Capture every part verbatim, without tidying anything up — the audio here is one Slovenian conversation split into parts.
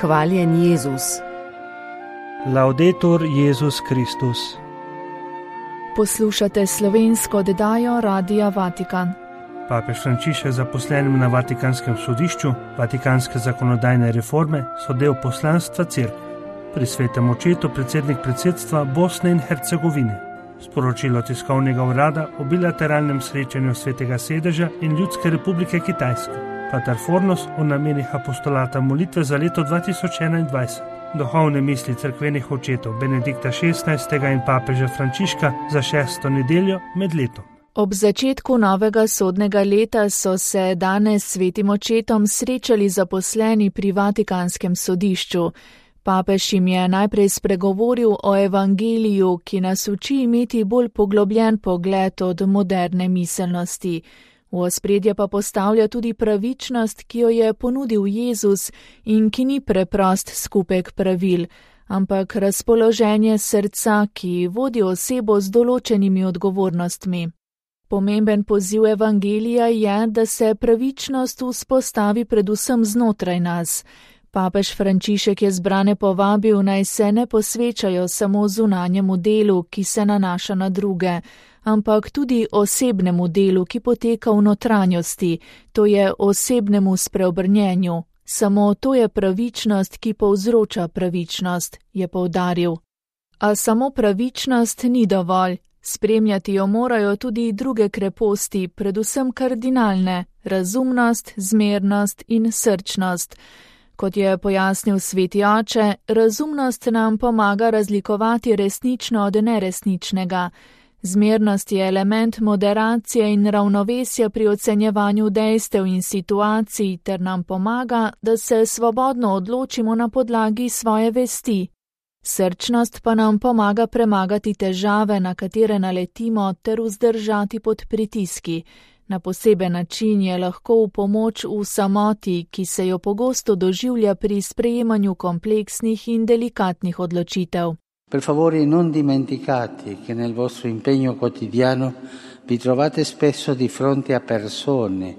Hvaljen Jezus. Laudetur Jezus Kristus. Poslušate slovensko oddajo Radia Vatikan. Papež Frančišek zaposlenim na Vatikanskem sodišču, vatikanske zakonodajne reforme so del poslanstva Cerkve. Pri svetem očetu predsednik predsedstva Bosne in Hercegovine. Sporočilo tiskovnega urada o bilateralnem srečanju Svetega sedeža in Ljudske republike Kitajske. Pater Fornos o namenih apostolata molitve za leto dva tisoč enaindvajset. Duhovne misli cerkvenih očetov Benedikta šestnajstega in papeža Frančiška za šesto nedeljo med letom. Ob začetku novega sodnega leta so se danes s svetim očetom srečali zaposleni pri Vatikanskem sodišču. Papež jim je najprej spregovoril o evangeliju, ki nas uči imeti bolj poglobljen pogled od moderne miselnosti. V ospredje pa postavlja tudi pravičnost, ki jo je ponudil Jezus in ki ni preprost skupek pravil, ampak razpoloženje srca, ki vodi osebo z določenimi odgovornostmi. Pomemben poziv evangelija je, da se pravičnost vzpostavi predvsem znotraj nas. Papež Frančišek je zbrane povabil, naj se ne posvečajo samo zunanjemu delu, ki se nanaša na druge, ampak tudi osebnemu delu, ki poteka v notranjosti, to je osebnemu spreobrnjenju. Samo to je pravičnost, ki povzroča pravičnost, je poudaril. A samo pravičnost ni dovolj. Spremljati jo morajo tudi druge kreposti, predvsem kardinalne, razumnost, zmernost in srčnost. Kot je pojasnil sveti oče, razumnost nam pomaga razlikovati resnično od neresničnega. Zmernost je element moderacije in ravnovesja pri ocenjevanju dejstev in situacij ter nam pomaga, da se svobodno odločimo na podlagi svoje vesti. Srčnost pa nam pomaga premagati težave, na katere naletimo, ter vzdržati pod pritiski. Na poseben način je lahko v pomoč v samoti, ki se jo pogosto doživlja pri sprejemanju kompleksnih in delikatnih odločitev. Per favore non dimenticate che nel vostro impegno quotidiano vi trovate spesso di fronte a persone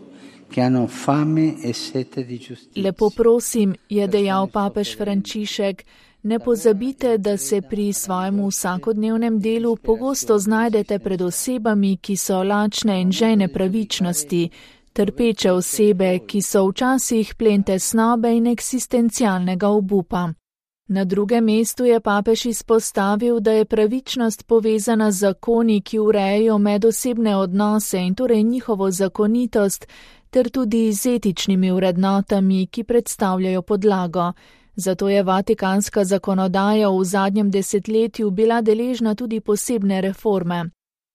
che hanno fame e sete di giustizia. Lepo prosim, je dejal papež Frančišek, ne pozabite, da se pri svojem vsakodnevnem delu pogosto znajdete pred osebami, ki so lačne in žejne pravičnosti, trpeče osebe, ki so včasih plen tesnobe in eksistencialnega obupa. Na drugem mestu je papež izpostavil, da je pravičnost povezana z zakoni, ki urejajo medosebne odnose in torej njihovo zakonitost, ter tudi z etičnimi vrednotami, ki predstavljajo podlago. Zato je vatikanska zakonodaja v zadnjem desetletju bila deležna tudi posebne reforme.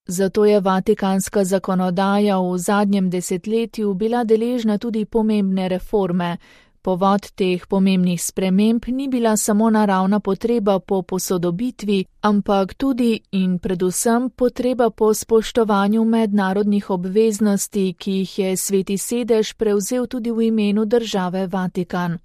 Zato je vatikanska zakonodaja v zadnjem desetletju bila deležna tudi pomembne reforme. Povod teh pomembnih sprememb ni bila samo naravna potreba po posodobitvi, ampak tudi in predvsem potreba po spoštovanju mednarodnih obveznosti, ki jih je sveti sedež prevzel tudi v imenu države Vatikan.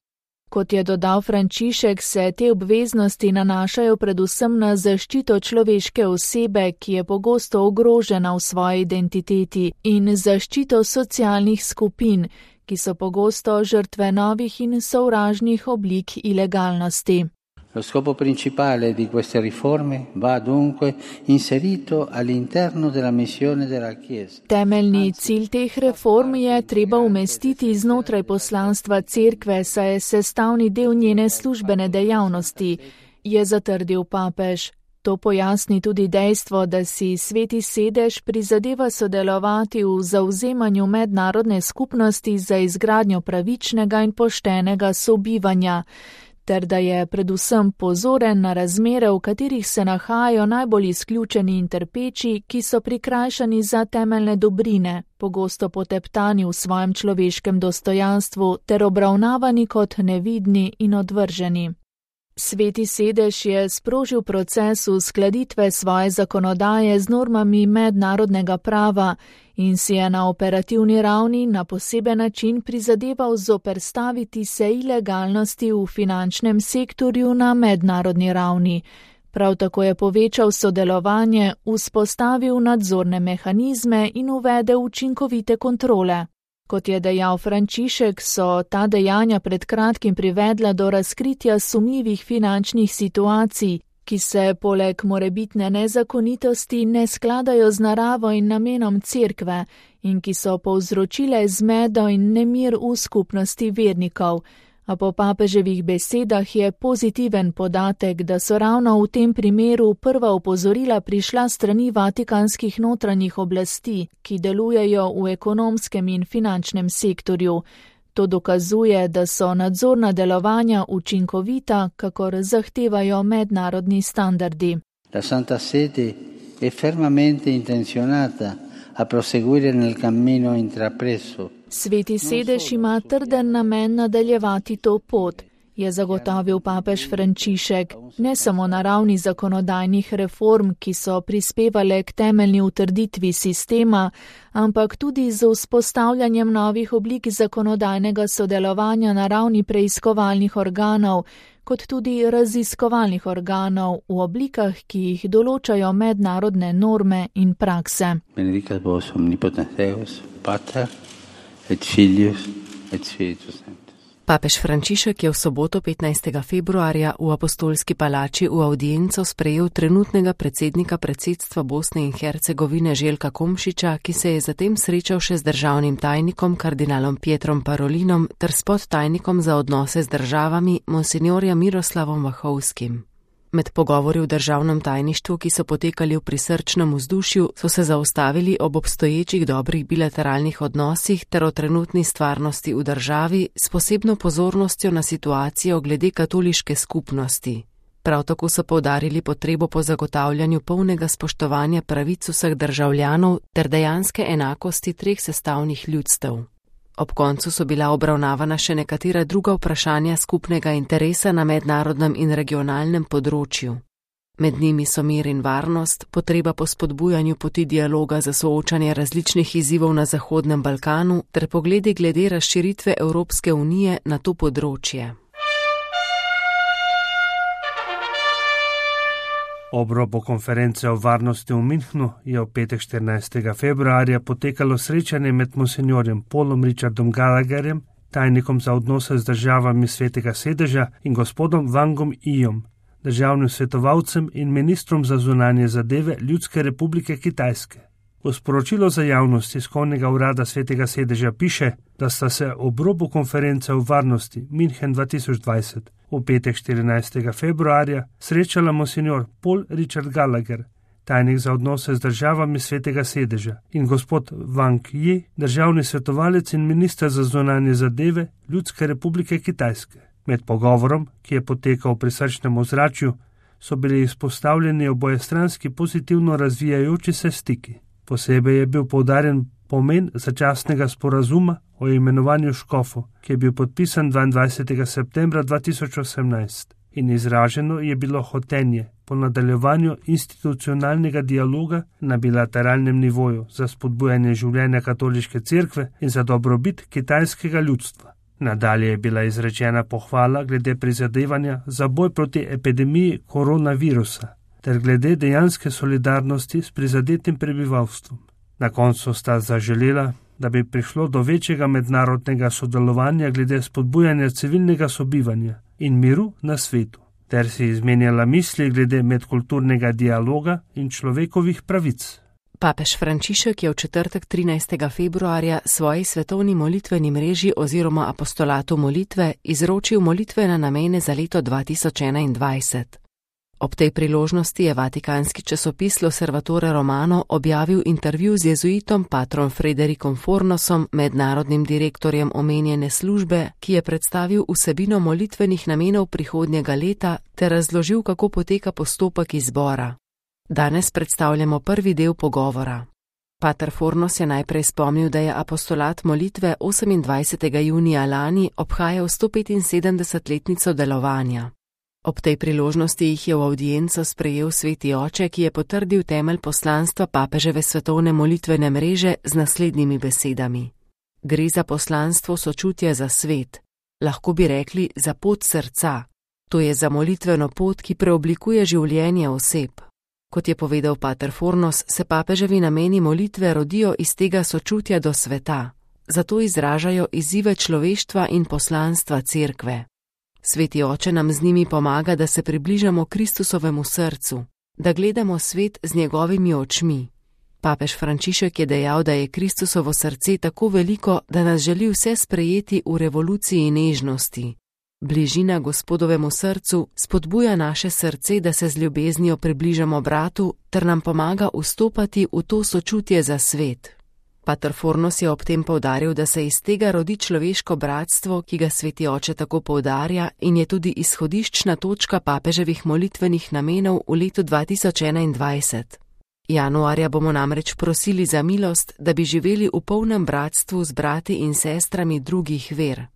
Kot je dodal Frančišek, se te obveznosti nanašajo predvsem na zaščito človeške osebe, ki je pogosto ogrožena v svoji identiteti, in zaščito socialnih skupin, ki so pogosto žrtve novih in sovražnih oblik ilegalnosti. Lo scopo principale di queste riforme va dunque inserito all'interno della missione della Chiesa. Temeljni cilj teh reform je treba umestiti znotraj poslanstva Cerkve, saj je sestavni del njene službene dejavnosti, je zatrdil papež. To pojasni tudi dejstvo, da si sveti sedež prizadeva sodelovati v zavzemanju mednarodne skupnosti za izgradnjo pravičnega in poštenega sobivanja, ter da je predvsem pozoren na razmere, v katerih se nahajajo najbolj izključeni in trpeči, ki so prikrajšani za temeljne dobrine, pogosto poteptani v svojem človeškem dostojanstvu ter obravnavani kot nevidni in odvrženi. Sveti sedež je sprožil proces uskladitve svoje zakonodaje z normami mednarodnega prava in si je na operativni ravni na poseben način prizadeval zoperstaviti se ilegalnosti v finančnem sektorju na mednarodni ravni. Prav tako je povečal sodelovanje, vzpostavil nadzorne mehanizme in uvedel učinkovite kontrole. Kot je dejal Frančišek, so ta dejanja pred kratkim privedla do razkritja sumljivih finančnih situacij, ki se poleg morebitne nezakonitosti ne skladajo z naravo in namenom cerkve in ki so povzročile zmedo in nemir v skupnosti vernikov. A po papeževih besedah je pozitiven podatek, da so ravno v tem primeru prva opozorila prišla strani vatikanskih notranjih oblasti, ki delujejo v ekonomskem in finančnem sektorju. To dokazuje, da so nadzorna delovanja učinkovita, kakor zahtevajo mednarodni standardi. La Santa Sede è fermamente intenzionata a proseguire nel cammino intrapreso. Sveti sedež ima trden namen nadaljevati to pot, je zagotovil papež Frančišek, ne samo na ravni zakonodajnih reform, ki so prispevale k temeljni utrditvi sistema, ampak tudi z vzpostavljanjem novih oblik zakonodajnega sodelovanja na ravni preiskovalnih organov, kot tudi raziskovalnih organov v oblikah, ki jih določajo mednarodne norme in prakse. Benedicat vos omnipotens Deus, Pater et Filius et Spiritus Sanctus. Papež Frančišek je v soboto petnajstega februarja v Apostolski palači v avdienco sprejel trenutnega predsednika predsedstva Bosne in Hercegovine Željka Komšiča, ki se je zatem srečal še z državnim tajnikom kardinalom Pietrom Parolinom ter s podtajnikom za odnose z državami monsinjorjem Miroslavom Vahovskim. Med pogovori v državnem tajništvu, ki so potekali v prisrčnem vzdušju, so se zaustavili ob obstoječih dobrih bilateralnih odnosih ter o trenutni stvarnosti v državi s posebno pozornostjo na situacijo glede katoliške skupnosti. Prav tako so poudarili potrebo po zagotavljanju polnega spoštovanja pravic vseh državljanov ter dejanske enakosti treh sestavnih ljudstev. Ob koncu so bila obravnavana še nekatera druga vprašanja skupnega interesa na mednarodnem in regionalnem področju. Med njimi so mir in varnost, potreba po spodbujanju poti dialoga za soočanje različnih izzivov na Zahodnem Balkanu ter pogledi glede razširitve Evropske unije na to področje. Ob robu konference o varnosti v Münchnu je v petek štirinajstega februarja potekalo srečanje med monsinjorjem Paulom Richardom Gallagherjem, tajnikom za odnose z državami Svetega sedeža, in gospodom Wangom Yijom, državnim svetovalcem in ministrom za zunanje zadeve Ljudske republike Kitajske. V sporočilu za javnost tiskovnega urada Svetega sedeža piše, da sta se ob robu konference o varnosti München dva tisoč dvajset v petek štirinajstega februarja srečala monsinjor Paul Richard Gallagher, tajnik za odnose z državami Svetega sedeža, in gospod Wang Yi, državni svetovalec in minister za zunanje zadeve Ljudske republike Kitajske. Med pogovorom, ki je potekal v prisrčnem ozračju, so bili izpostavljeni obojestranski pozitivno razvijajoči se stiki. Posebej je bil poudarjen pomen začasnega sporazuma o imenovanju škofov, ki je bil podpisan dvaindvajsetega septembra dva tisoč osemnajst, in izraženo je bilo hotenje po nadaljevanju institucionalnega dialoga na bilateralnem nivoju za spodbujanje življenja katoliške cerkve in za dobrobit kitajskega ljudstva. Nadalje je bila izrečena pohvala glede prizadevanja za boj proti epidemiji koronavirusa ter glede dejanske solidarnosti s prizadetim prebivalstvom. Na koncu sta zaželela, da bi prišlo do večjega mednarodnega sodelovanja glede spodbujanja civilnega sobivanja in miru na svetu, ter si izmenjala misli glede medkulturnega dialoga in človekovih pravic. Papež Frančišek je v četrtek trinajstega februarja svoji svetovni molitveni mreži oziroma apostolatu molitve izročil molitvene namene za leto dva tisoč enaindvajset. Ob tej priložnosti je vatikanski časopis L'Osservatore Romano objavil intervju z jezuitom patrom Frederikom Fornosom, mednarodnim direktorjem omenjene službe, ki je predstavil vsebino molitvenih namenov prihodnjega leta ter razložil, kako poteka postopek izbora. Danes predstavljamo prvi del pogovora. Pater Fornos je najprej spomnil, da je apostolat molitve osemindvajsetega junija lani obhajal sto petinsedemdesetletnico delovanja. Ob tej priložnosti jih je v avdienco sprejel sveti oče, ki je potrdil temelj poslanstva papeževe svetovne molitvene mreže z naslednjimi besedami. Gre za poslanstvo sočutja za svet, lahko bi rekli za pot srca. To je za molitveno pot, ki preoblikuje življenje oseb. Kot je povedal pater Fornos, se papeževi nameni molitve rodijo iz tega sočutja do sveta. zato izražajo izzive človeštva in poslanstva cerkve. Sveti oče nam z njimi pomaga, da se približamo Kristusovemu srcu, da gledamo svet z njegovimi očmi. Papež Frančišek je dejal, da je Kristusovo srce tako veliko, da nas želi vse sprejeti v revoluciji nežnosti. Bližina Gospodovemu srcu spodbuja naše srce, da se z ljubeznijo približamo bratu, ter nam pomaga vstopati v to sočutje za svet. Pater Fornos je ob tem poudaril, da se iz tega rodi človeško bratstvo, ki ga sveti oče tako poudarja in je tudi izhodiščna točka papeževih molitvenih namenov v letu dva tisoč enaindvajset. Januarja bomo namreč prosili za milost, da bi živeli v polnem bratstvu z brati in sestrami drugih ver.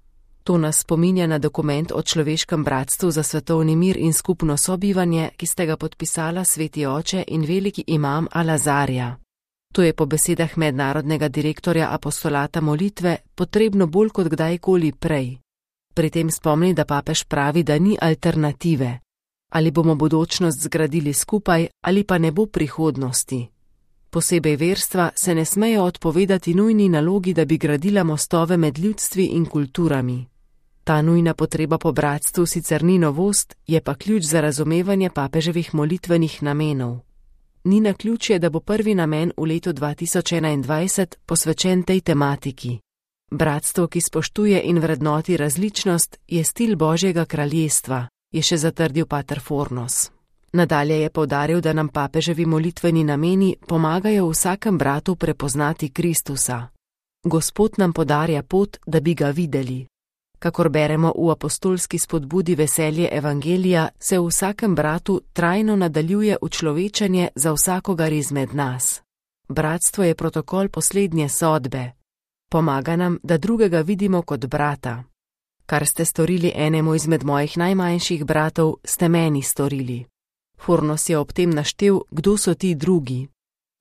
To nas spominja na dokument o človeškem bratstvu za svetovni mir in skupno sobivanje, ki sta ga podpisala sveti oče in veliki imam Al-Azarja. To je po besedah mednarodnega direktorja apostolata molitve potrebno bolj kot kdajkoli prej. Pri tem spomni, da papež pravi, da ni alternative. Ali bomo bodočnost zgradili skupaj, ali pa ne bo prihodnosti. Posebej verstva se ne smejo odpovedati nujni nalogi, da bi gradila mostove med ljudstvi in kulturami. Ta nujna potreba po bratstvu sicer ni novost, je pa ključ za razumevanje papeževih molitvenih namenov. Ni naključje, da bo prvi namen v letu dva tisoč enaindvajset posvečen tej tematiki. Bratstvo, ki spoštuje in vrednoti različnost, je stil Božjega kraljestva, je še zatrdil pater Fornos. Nadalje je poudaril, da nam papeževi molitveni nameni pomagajo vsakem bratu prepoznati Kristusa. Gospod nam podarja pot, da bi ga videli. Kakor beremo v apostolski spodbudi Veselje evangelija, se v vsakem bratu trajno nadaljuje učlovečenje za vsakogar izmed nas. Bratstvo je protokol poslednje sodbe. Pomaga nam, da drugega vidimo kot brata. Kar ste storili enemu izmed mojih najmanjših bratov, ste meni storili. Fornos je ob tem naštel, kdo so ti drugi.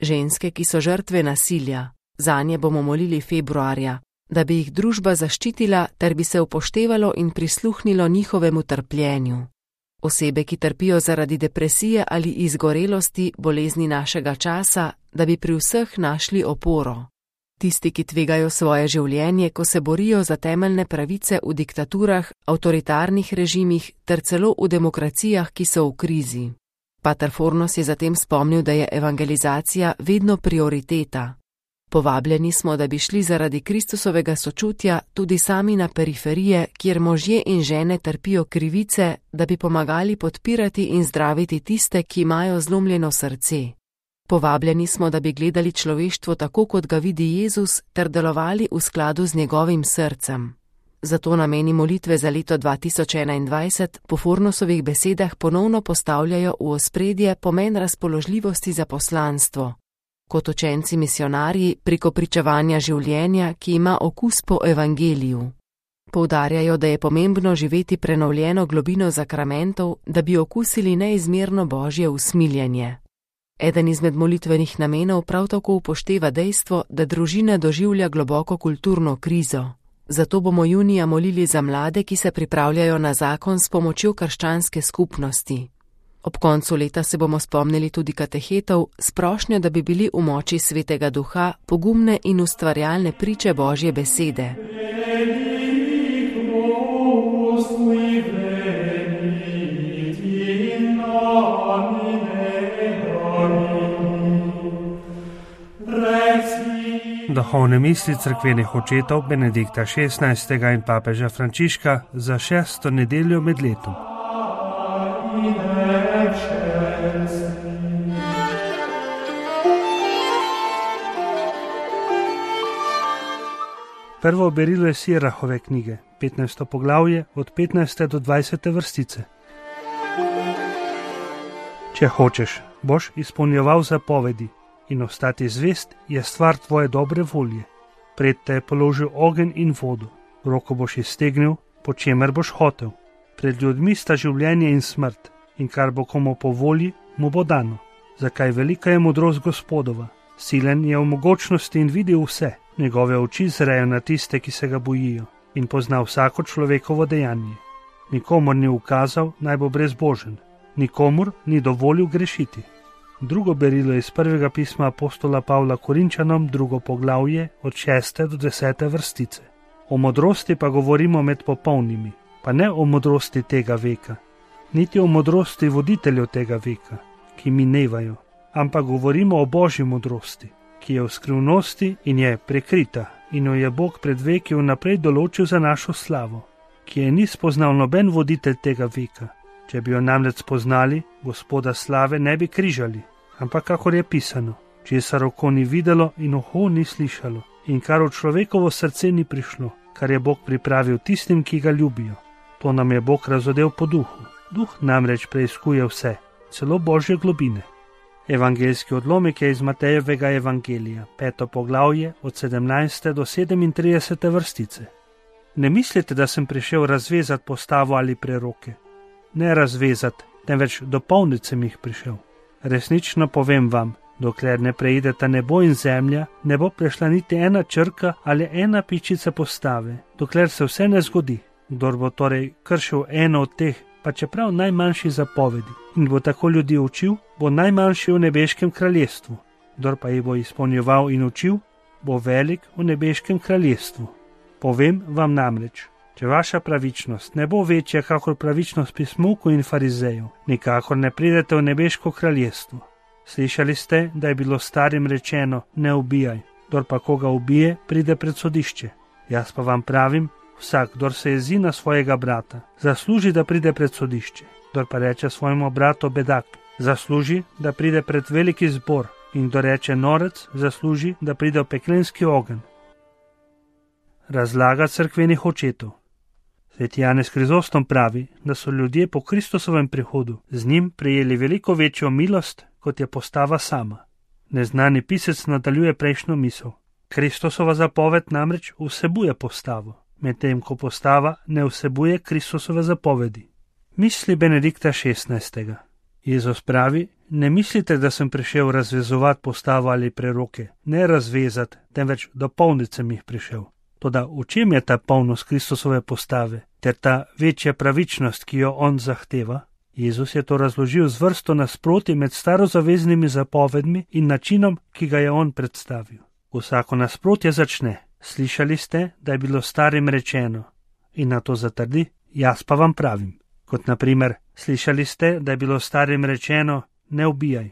Ženske, ki so žrtve nasilja, zanje bomo molili februarja, da bi jih družba zaščitila ter bi se upoštevalo in prisluhnilo njihovemu trpljenju. Osebe, ki trpijo zaradi depresije ali izgorelosti, bolezni našega časa, da bi pri vseh našli oporo. Tisti, ki tvegajo svoje življenje, ko se borijo za temeljne pravice v diktaturah, avtoritarnih režimih ter celo v demokracijah, ki so v krizi. Pater Fornos je zatem spomnil, da je evangelizacija vedno prioriteta. Povabljeni smo, da bi šli zaradi Kristusovega sočutja tudi sami na periferije, kjer možje in žene trpijo krivice, da bi pomagali podpirati in zdraviti tiste, ki imajo zlomljeno srce. Povabljeni smo, da bi gledali človeštvo tako, kot ga vidi Jezus, ter delovali v skladu z njegovim srcem. Zato nameni molitve za leto dva tisoč enaindvajset po Fornosovih besedah ponovno postavljajo v ospredje pomen razpoložljivosti za poslanstvo. Kot učenci misionarji preko pričevanja življenja, ki ima okus po evangeliju. Poudarjajo, da je pomembno živeti prenovljeno globino zakramentov, da bi okusili neizmerno Božje usmiljenje. Eden izmed molitvenih namenov prav tako upošteva dejstvo, da družina doživlja globoko kulturno krizo. Zato bomo junija molili za mlade, ki se pripravljajo na zakon s pomočjo krščanske skupnosti. Ob koncu leta se bomo spomnili tudi katehetov s prošnjo, da bi bili v moči Svetega Duha pogumne in ustvarjalne priče Božje besede. Duhovne misli cerkvenih očetov Benedikta šestnajstega in papeža Frančiška za šesto nedeljo med letom. Prvo berilo je Sirahove knjige, petnajsto poglavje od petnajste do dvajsete vrstice. Če hočeš, boš izpolnjeval zapovedi in ostati zvest je stvar tvoje dobre volje. Pred te je položil ogenj in vodo, roko boš iztegnil, po čemer boš hotel. Pred ljudmi sta življenje in smrt, in kar bo komu po volji, mu bo dano. Zakaj velika je modrost Gospodova, silen je v mogočnosti in vidi vse, njegove oči zrejo na tiste, ki se ga bojijo, in pozna vsako človekovo dejanje. Nikomur ni ukazal, naj bo brezbožen, nikomur ni dovolil grešiti. drugo berilo iz prvega pisma apostola Pavla Korinčanom, drugo poglavje, od šeste do desete vrstice. O modrosti pa govorimo med popolnimi, pa ne o modrosti tega veka, niti o modrosti voditeljev tega veka, ki minevajo, ampak govorimo o Božji modrosti, ki je v skrivnosti in je prekrita in jo je Bog pred veki vnaprej določil za našo slavo, ki je ni spoznal noben voditelj tega veka. Če bi jo namreč spoznali, Gospoda slave ne bi križali, ampak kakor je pisano, česar oko ni videlo in uho ni slišalo, in kar v človekovo srce ni prišlo, kar je Bog pripravil tistim, ki ga ljubijo. To nam je Bog razodel po duhu. Duh namreč preiskuje vse, celo Božje globine. Evangeljski odlomek je iz Matejevega evangelija, peto poglavje, od sedemnajste do sedemintridesete vrstice. Ne mislite, da sem prišel razvezati postavo ali preroke. Ne razvezati, temveč dopolniti sem jih prišel. Resnično povem vam, dokler ne preideta nebo in zemlja, ne bo prešla niti ena črka ali ena pičica postave, dokler se vse ne zgodi. Kdor bo torej kršil eno od teh, pa čeprav najmanjši zapovedi, in bo tako ljudi učil, bo najmanjši v nebeškem kraljestvu. Kdor pa jih bo izpolnjeval in učil, bo velik v nebeškem kraljestvu. Povem vam namreč, če vaša pravičnost ne bo večja kakor pravičnost pismukov in farizejev, nikakor ne pridete v nebeško kraljestvo. Slišali ste, da je bilo starim rečeno, ne ubijaj, kdor pa koga ubije, pride pred sodišče. Jaz pa vam pravim, vsak, kdor se jezi na svojega brata, zasluži, da pride pred sodišče. Kdor pa reče svojemu bratu bedak, zasluži, da pride pred veliki zbor, in kdor reče norec, zasluži, da pride v peklenski ogenj. Razlaga cerkvenih očetov. Sveti Janez Krizostom pravi, da so ljudje po Kristusovem prihodu z njim prejeli veliko večjo milost, kot je postava sama. Neznani pisec nadaljuje prejšnjo misel. Kristusova zapoved namreč vsebuje postavo, medtem ko postava ne vsebuje Kristusove zapovedi. Misli Benedikta šestnajstega. Jezus pravi, ne mislite, da sem prišel razvezovati postavo ali preroke, ne razvezati, temveč dopolniti sem jih prišel. Toda v čem je ta polnost Kristusove postave, ter ta večja pravičnost, ki jo on zahteva? Jezus je to razložil z vrsto nasproti med starozaveznimi zapovedmi in načinom, ki ga je on predstavil. Vsako nasprotje začne, slišali ste, da je bilo starim rečeno, in na to zatrdi, jaz pa vam pravim. Kot naprimer, slišali ste, da je bilo starim rečeno, ne ubijaj.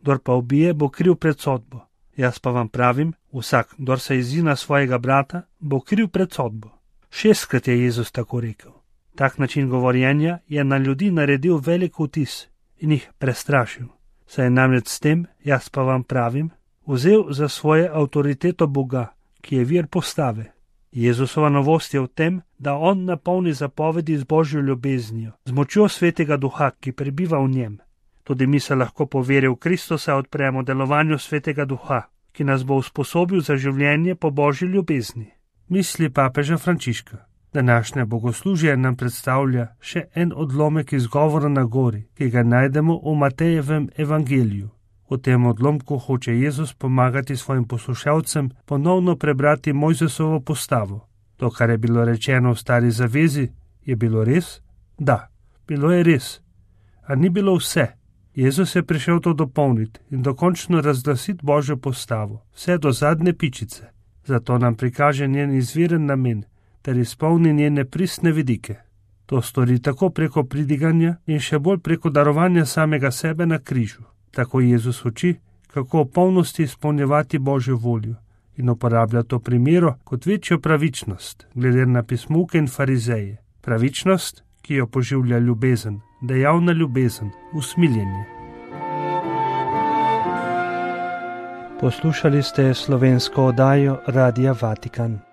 Kdor pa ubije, bo kriv pred sodbo. Jaz pa vam pravim, vsak, kdor se jezi na svojega brata, bo kriv pred sodbo. Šestkrat je Jezus tako rekel. Tak način govorjenja je na ljudi naredil velik vtis in jih prestrašil. Saj je namreč s tem, jaz pa vam pravim, vzel za svoje avtoriteto Boga, ki je vir postave. Jezusova novost je v tem, da on napolni zapovedi z Božjo ljubeznijo, z močjo Svetega Duha, ki prebiva v njem. Tudi mi se lahko po veri v Kristusa odpremo delovanju Svetega Duha, ki nas bo usposobil za življenje po Božji ljubezni. Misli papeža Frančiška. Današnje bogoslužje nam predstavlja še en odlomek iz govora na gori, ki ga najdemo v Matejevem evangeliju. V tem odlomku hoče Jezus pomagati svojim poslušalcem ponovno prebrati Mojzesovo postavo. To, kar je bilo rečeno v stari zavezi, je bilo res? Da, bilo je res. A ni bilo vse. Jezus je prišel to dopolniti in dokončno razglasiti Božjo postavo, vse do zadnje pičice. Zato nam prikaže njen izviren namen, ter izpolni njene pristne vidike. To stori tako preko pridiganja in še bolj preko darovanja samega sebe na križu. Tako Jezus uči, kako v polnosti izpolnjevati Božjo voljo in uporablja to primero kot večjo pravičnost, glede na pismuke in farizeje. Pravičnost, ki jo poživlja ljubezen, dejavna ljubezen, usmiljenje. Poslušali ste slovensko oddajo Radia Vatikan.